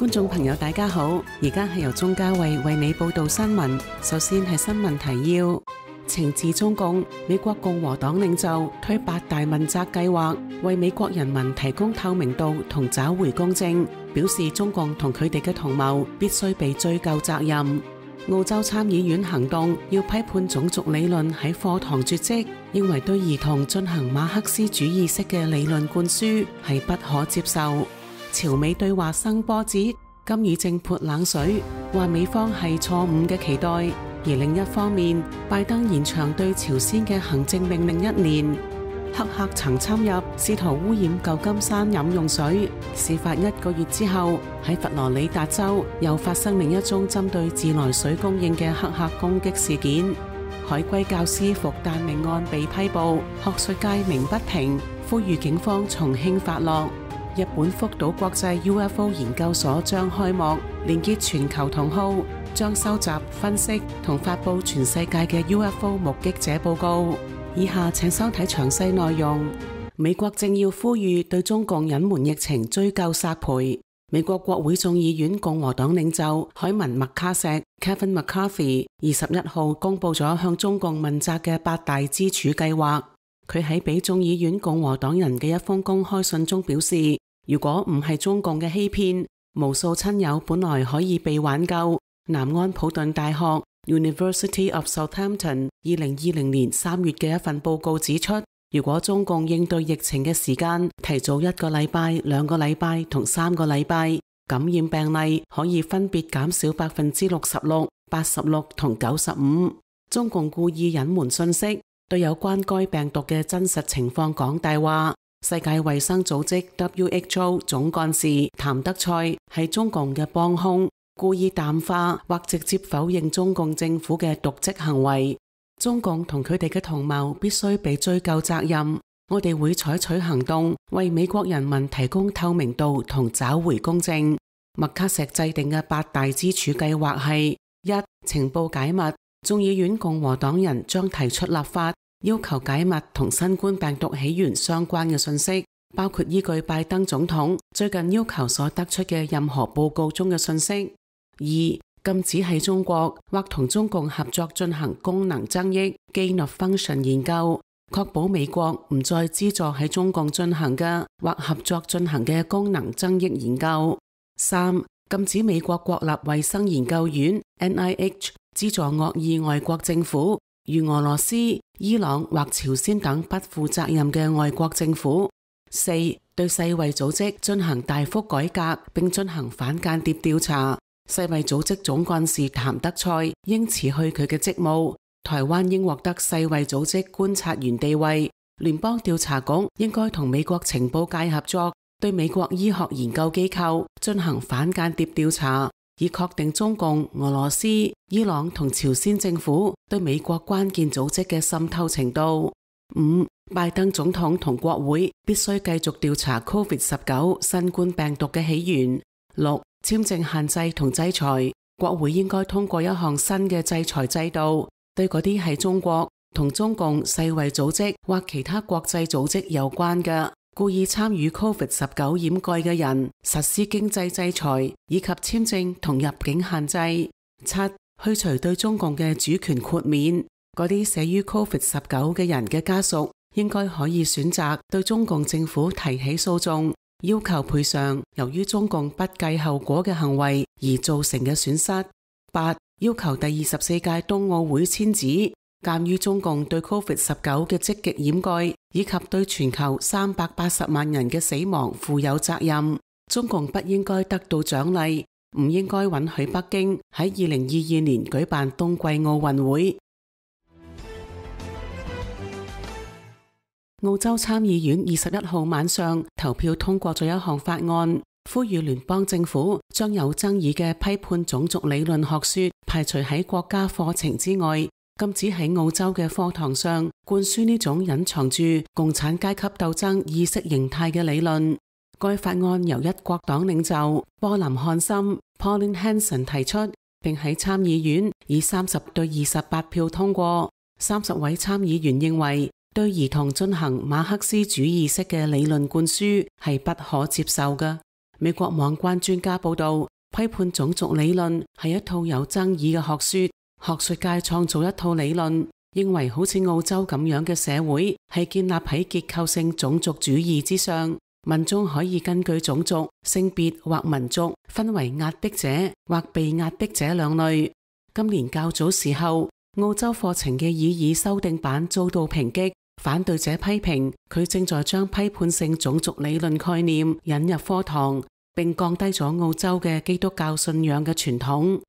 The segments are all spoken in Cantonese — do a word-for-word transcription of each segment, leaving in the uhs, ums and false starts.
觀眾朋友大家好，而家係由鍾嘉慧為你報道新聞。首先係新聞提要：懲治中共，美國共和黨領袖推八大問責計劃，為美國人民提供透明度同找回公正，表示中共同佢哋嘅同謀必須被追究責任。澳洲參議院行動要批判種族理論喺課堂絕跡，認為對兒童進行馬克思主義式嘅理論灌輸係不可接受。朝美對話生波折，金與正潑冷水，話美方係錯誤嘅期待。而另一方面，拜登延長對朝鮮嘅行政命令一年。黑客曾侵入，試圖污染舊金山飲用水。事發一個月之後，喺佛羅里達州又發生另一宗針對自來水供應嘅黑客攻擊事件。海歸教師復旦命案被批捕，學術界鳴不平，呼籲警方從輕發落。日本福島國際 U F O 研究所將開幕，連結全球同好，將收集、分析同發佈全世界嘅 U F O 目擊者報告。以下請收睇詳細內容。美國正要呼籲對中共隱瞞疫情追究索賠。美國國會眾議院共和黨領袖凱文麥卡錫 Kevin McCarthy 二十一號公布咗向中共問責嘅八大支柱計劃。佢喺俾眾議院共和黨人嘅一封公開信中表示，如果唔係中共嘅欺騙，無數親友本來可以被挽救。南安普頓大學 University of Southampton 二零二零年三月嘅一份報告指出，如果中共應對疫情嘅時間提早一個禮拜、兩個禮拜同三個禮拜，感染病例可以分別減少百分之六十六、八十六同九十五。中共故意隱瞞信息，對有關該病毒嘅真實情況講大話。世界衛生組織 W H O 總幹事譚德塞係中共嘅幫兇，故意淡化或直接否認中共政府嘅瀆職行為。中共同佢哋嘅同謀必須被追究責任。我哋會採取行動，為美國人民提供透明度同找回公正。麥卡錫制定嘅八大支柱計劃係：一、情報解密。眾議院共和黨人將提出立法，要求解密同新冠病毒起源相關嘅信息，包括依據拜登總統最近要求所得出嘅任何報告中嘅信息。二、禁止喺中國或同中共合作進行功能增益 gain of function 研究，確保美國唔再資助喺中共進行嘅或合作進行嘅功能增益研究。三、禁止美國國立衛生研究院 N I H 資助惡意外國政府，如俄羅斯、伊朗或朝鮮等不負責任嘅外國政府。四、對世衛組織進行大幅改革，並進行反間諜調查。世衛組織總幹事譚德塞應辭去佢嘅職務。台灣應獲得世衛組織觀察員地位。聯邦調查局應該同美國情報界合作，對美國醫學研究機構進行反間諜調查，以確定中共、俄羅斯、伊朗同朝鮮政府對美國關鍵組織嘅滲透程度。五、拜登總統同國會必須繼續調查 COVID 十九 新冠病毒嘅起源。六、簽證限制同制裁，國會應該通過一項新嘅制裁制度，對嗰啲喺中國同中共、世衛組織或其他國際組織有關嘅故意參與 COVID 十九掩蓋嘅人，實施經濟制裁以及簽證同入境限制。七、去除對中共嘅主權豁免，嗰啲死於 COVID 十九嘅人嘅家屬應該可以選擇對中共政府提起訴訟，要求賠償由於中共不計後果嘅行為而造成嘅損失。八、要求第二十四屆冬奧會遷址，鑒於中共對 COVID 十九嘅積極掩蓋以及對全球三百八十萬人嘅死亡負有責任，中共不應該得到獎勵，唔應該允許北京喺二零二二年舉辦冬季奧運會。澳洲參議院二十一號晚上投票通過咗一項法案，呼籲聯邦政府將有爭議嘅批判種族理論學說排除喺國家課程之外，禁止喺澳洲嘅課堂上灌輸呢種隱藏住共產階級鬥爭意識形態嘅理論。該法案由一國黨領袖波林漢森 Pauline Hanson 提出，並喺參議院以三十對二十八票通過。三十位參議員認為，對兒童進行馬克思主義式嘅理論灌輸係不可接受嘅。美國網關專家報道，批判種族理論係一套有爭議嘅學說。學術界創造一套理論，認為好似澳洲咁樣嘅社會係建立喺結構性種族主義之上，民眾可以根據種族、性別或民族分為壓迫者或被壓迫者兩類。今年較早時候，澳洲課程嘅擬議修訂版遭到抨擊，反對者批評佢正在將批判性種族理論概念引入課堂，並降低咗澳洲嘅基督教信仰嘅傳統。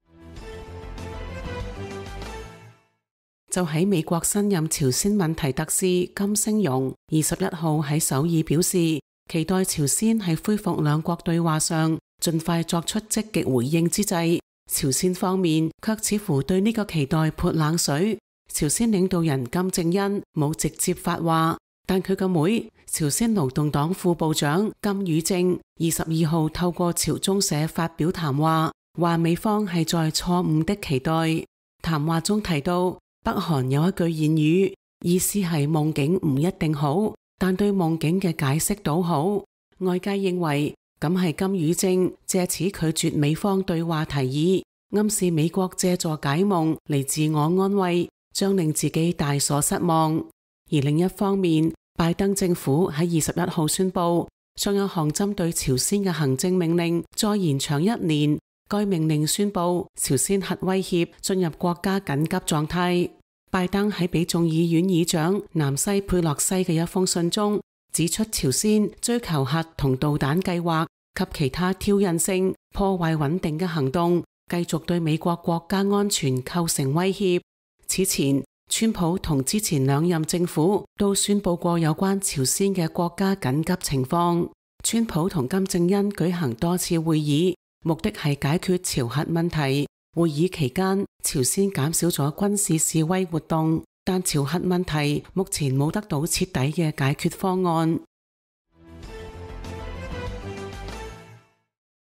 就喺美國新任朝鮮問題特使金星榮二十一號喺首爾表示，期待朝鮮喺恢復兩國對話上盡快作出積極回應之際，朝鮮方面卻似乎對呢個期待潑冷水。朝鮮領導人金正恩冇直接發話，但佢個妹朝鮮勞動黨副部長金與正二十二號透過朝中社發表談話，話美方係在錯誤的期待。談話中提到，北韓有一句諺語，意思係夢境唔一定好，但對夢境嘅解釋倒好。外界認為咁係金與正借此拒絕美方對話提議，暗示美國借助解夢嚟自我安慰，將令自己大所失望。而另一方面，拜登政府喺二十一號宣布，將有項針對朝鮮嘅行政命令再延長一年。該命令宣布朝鮮核威脅進入國家緊急狀態。拜登喺俾眾議院議長南西佩洛西嘅一封信中指出，朝鮮追求核同導彈計劃及其他挑釁性、破壞穩定嘅行動，繼續對美國國家安全構成威脅。此前，川普同之前兩任政府都宣布過有關朝鮮嘅國家緊急情況。川普同金正恩舉行多次會議，目的係解決朝核問題。會議期間，朝鮮減少咗軍事示威活動，但朝核問題目前冇得到徹底嘅解決方案。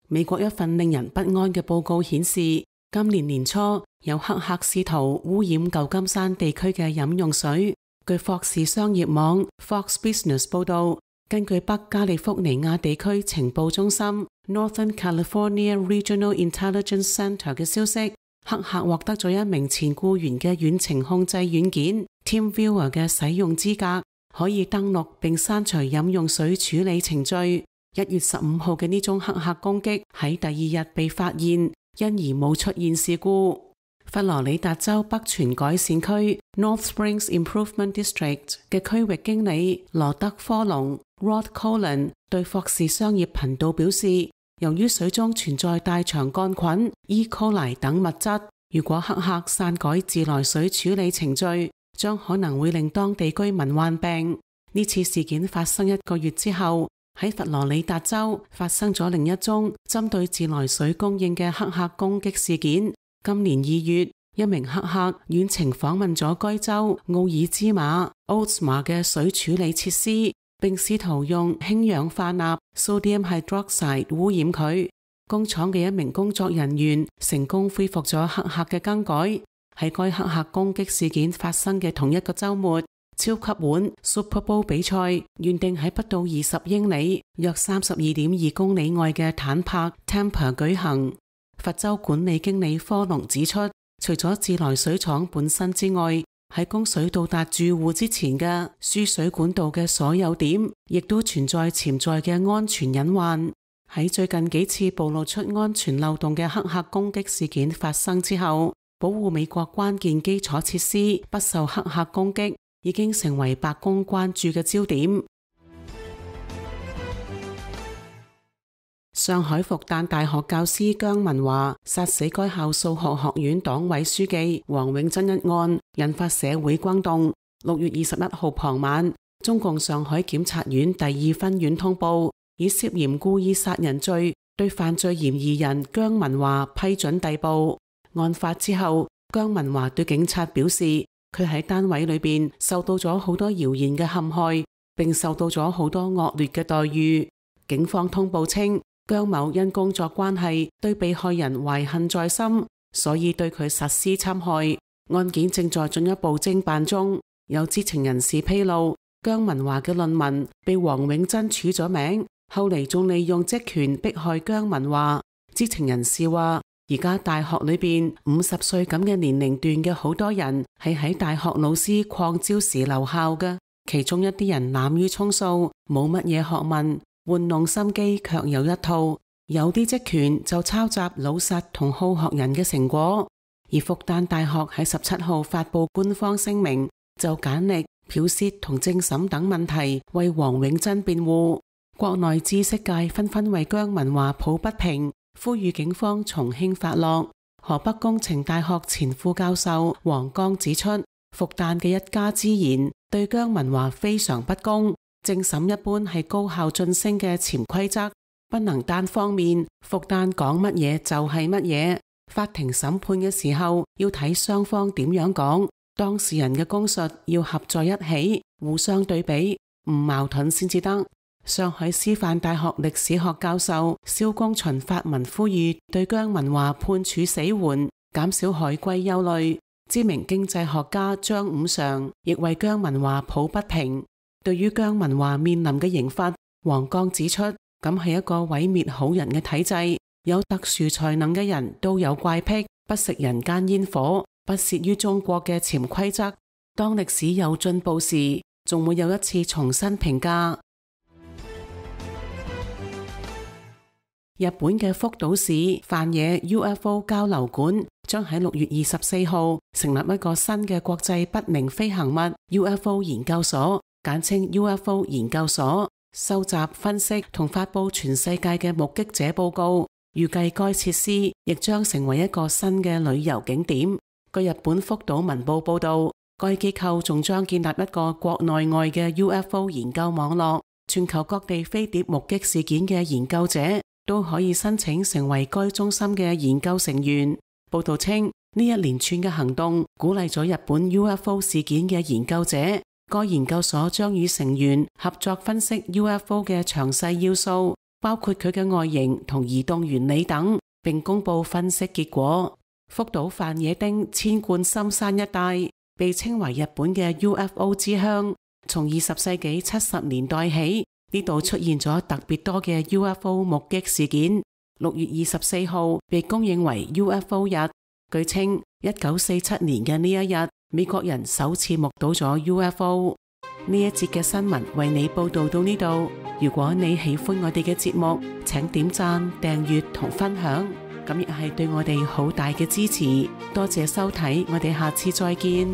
美國一份令人不安嘅報告顯示，今年年初有黑客試圖污染舊金山地區嘅飲用水。據霍士商業網 Fox Business 報道，根據北加利福尼亞地區情報中心 Northern California Regional Intelligence Center 嘅消息，黑客獲得咗一名前僱員嘅遠程控制軟件 TeamViewer 嘅使用資格，可以登錄並刪除飲用水處理程序。一月十五號嘅呢宗黑客攻擊喺第二日被發現，因而冇出現事故。佛羅里達州北泉改善區 North Springs Improvement District 嘅區域經理羅德科隆 Rod Colin 對霍士商業頻道表示，由於水中存在大腸桿菌、E. coli 等物質，如果黑客篡改自來水處理程序，將可能會令當地居民患病。呢次事件發生一個月之後，喺佛羅里達州發生咗另一宗針對自來水供應嘅黑客攻擊事件。今年二月，一名黑客遠程訪問咗該州奧爾茲馬 Oldsmar 嘅水處理設施，並試圖用氫氧化鈉 Sodium hydroxide 污染佢。工廠嘅一名工作人員成功恢復咗黑客嘅更改。喺該黑客攻擊事件發生嘅同一個週末，超級碗 Super Bowl 比賽原定喺不到二十英里、約三十二點二公里外嘅坦帕 Tampa 舉行。佛州管理經理科隆指出，除咗自來水廠本身之外，喺供水到達住戶之前嘅輸水管道嘅所有點，亦都存在潛在嘅安全隱患。喺最近幾次暴露出安全漏洞嘅黑客攻擊事件發生之後，保護美國關鍵基礎設施不受黑客攻擊，已經成為白宮關注嘅焦點。上海復旦大學教師姜文華殺死該校數學學院黨委書記王永珍一案引發社會轟動。六月二十一號傍晚，中共上海檢察院第二分院通報，以涉嫌故意殺人罪對犯罪嫌疑人姜文華批准逮捕。案發之後，姜文華對警察表示，佢喺單位裏邊受到咗好多謠言嘅陷害，並受到咗好多惡劣嘅待遇。警方通報稱，姜某因工作關係對被害人懷恨在心，所以對佢實施侵害。案件正在進一步偵辦中。有知情人士披露，姜文華嘅論文被王永珍署咗名，後嚟仲利用職權迫害姜文華。知情人士話，而家大學裏邊五十歲咁嘅年齡段嘅好多人係喺大學老師擴招時留校嘅，其中一啲人濫竽充數，冇乜嘢學問，玩弄心機卻有一套。有啲職權就抄襲老實同好學人嘅成果。而復旦大學喺十七號發佈官方聲明，就簡歷、剽竊同政審等問題為王永珍辯護。國內知識界紛紛為姜文華抱不平，呼籲警方從輕發落。河北工程大學前副教授黃剛指出，復旦嘅一家之言對姜文華非常不公。政審一般係高校晉升嘅潛規則，不能單方面復旦講乜嘢就係乜嘢。法庭審判嘅時候要睇雙方點樣講，當事人嘅供述要合在一起，互相對比，唔矛盾先至得。上海師範大學歷史學教授蕭公巡發文呼籲對姜文華判處死緩，減少海歸憂慮。知名經濟學家張五常亦為姜文華抱不平。對於姜文華面臨嘅刑罰，黃剛指出，咁係一個毀滅好人嘅體制。有特殊才能嘅人都有怪癖，不食人間煙火，不屑於中國嘅潛規則。當歷史有進步時，仲會有一次重新評價。日本嘅福島市范野 U F O 交流館將喺六月二十四號成立一個新嘅國際不明飛行物 U F O 研究所，簡稱 U F O 研究所，收集、分析同發佈全世界嘅目擊者報告。預計該設施亦將成為一個新嘅旅遊景點。據日本福島文報報道，該機構仲將建立一個國內外嘅 U F O 研究網絡，全球各地飛碟目擊事件嘅研究者都可以申請成為該中心嘅研究成員。報道稱，呢一連串嘅行動鼓勵咗日本 U F O 事件嘅研究者。該研究所將與成員合作分析 U F O 嘅詳細要素，包括佢嘅外形同移動原理等，並公布分析結果。福島范野町千貫深山一帶被稱為日本嘅 U F O 之鄉，從二十世紀七十年代起，呢度出現咗特別多嘅 U F O 目擊事件。六月二十四號被公認為 U F O 日。據稱，一九四七年嘅呢一日，美國人首次目睹咗 U F O。呢一節嘅新聞為你報道到呢度。如果你喜歡我哋嘅節目，請點讚、訂閱同分享，咁亦係對我哋好大嘅支持。多謝收睇，我哋下次再見。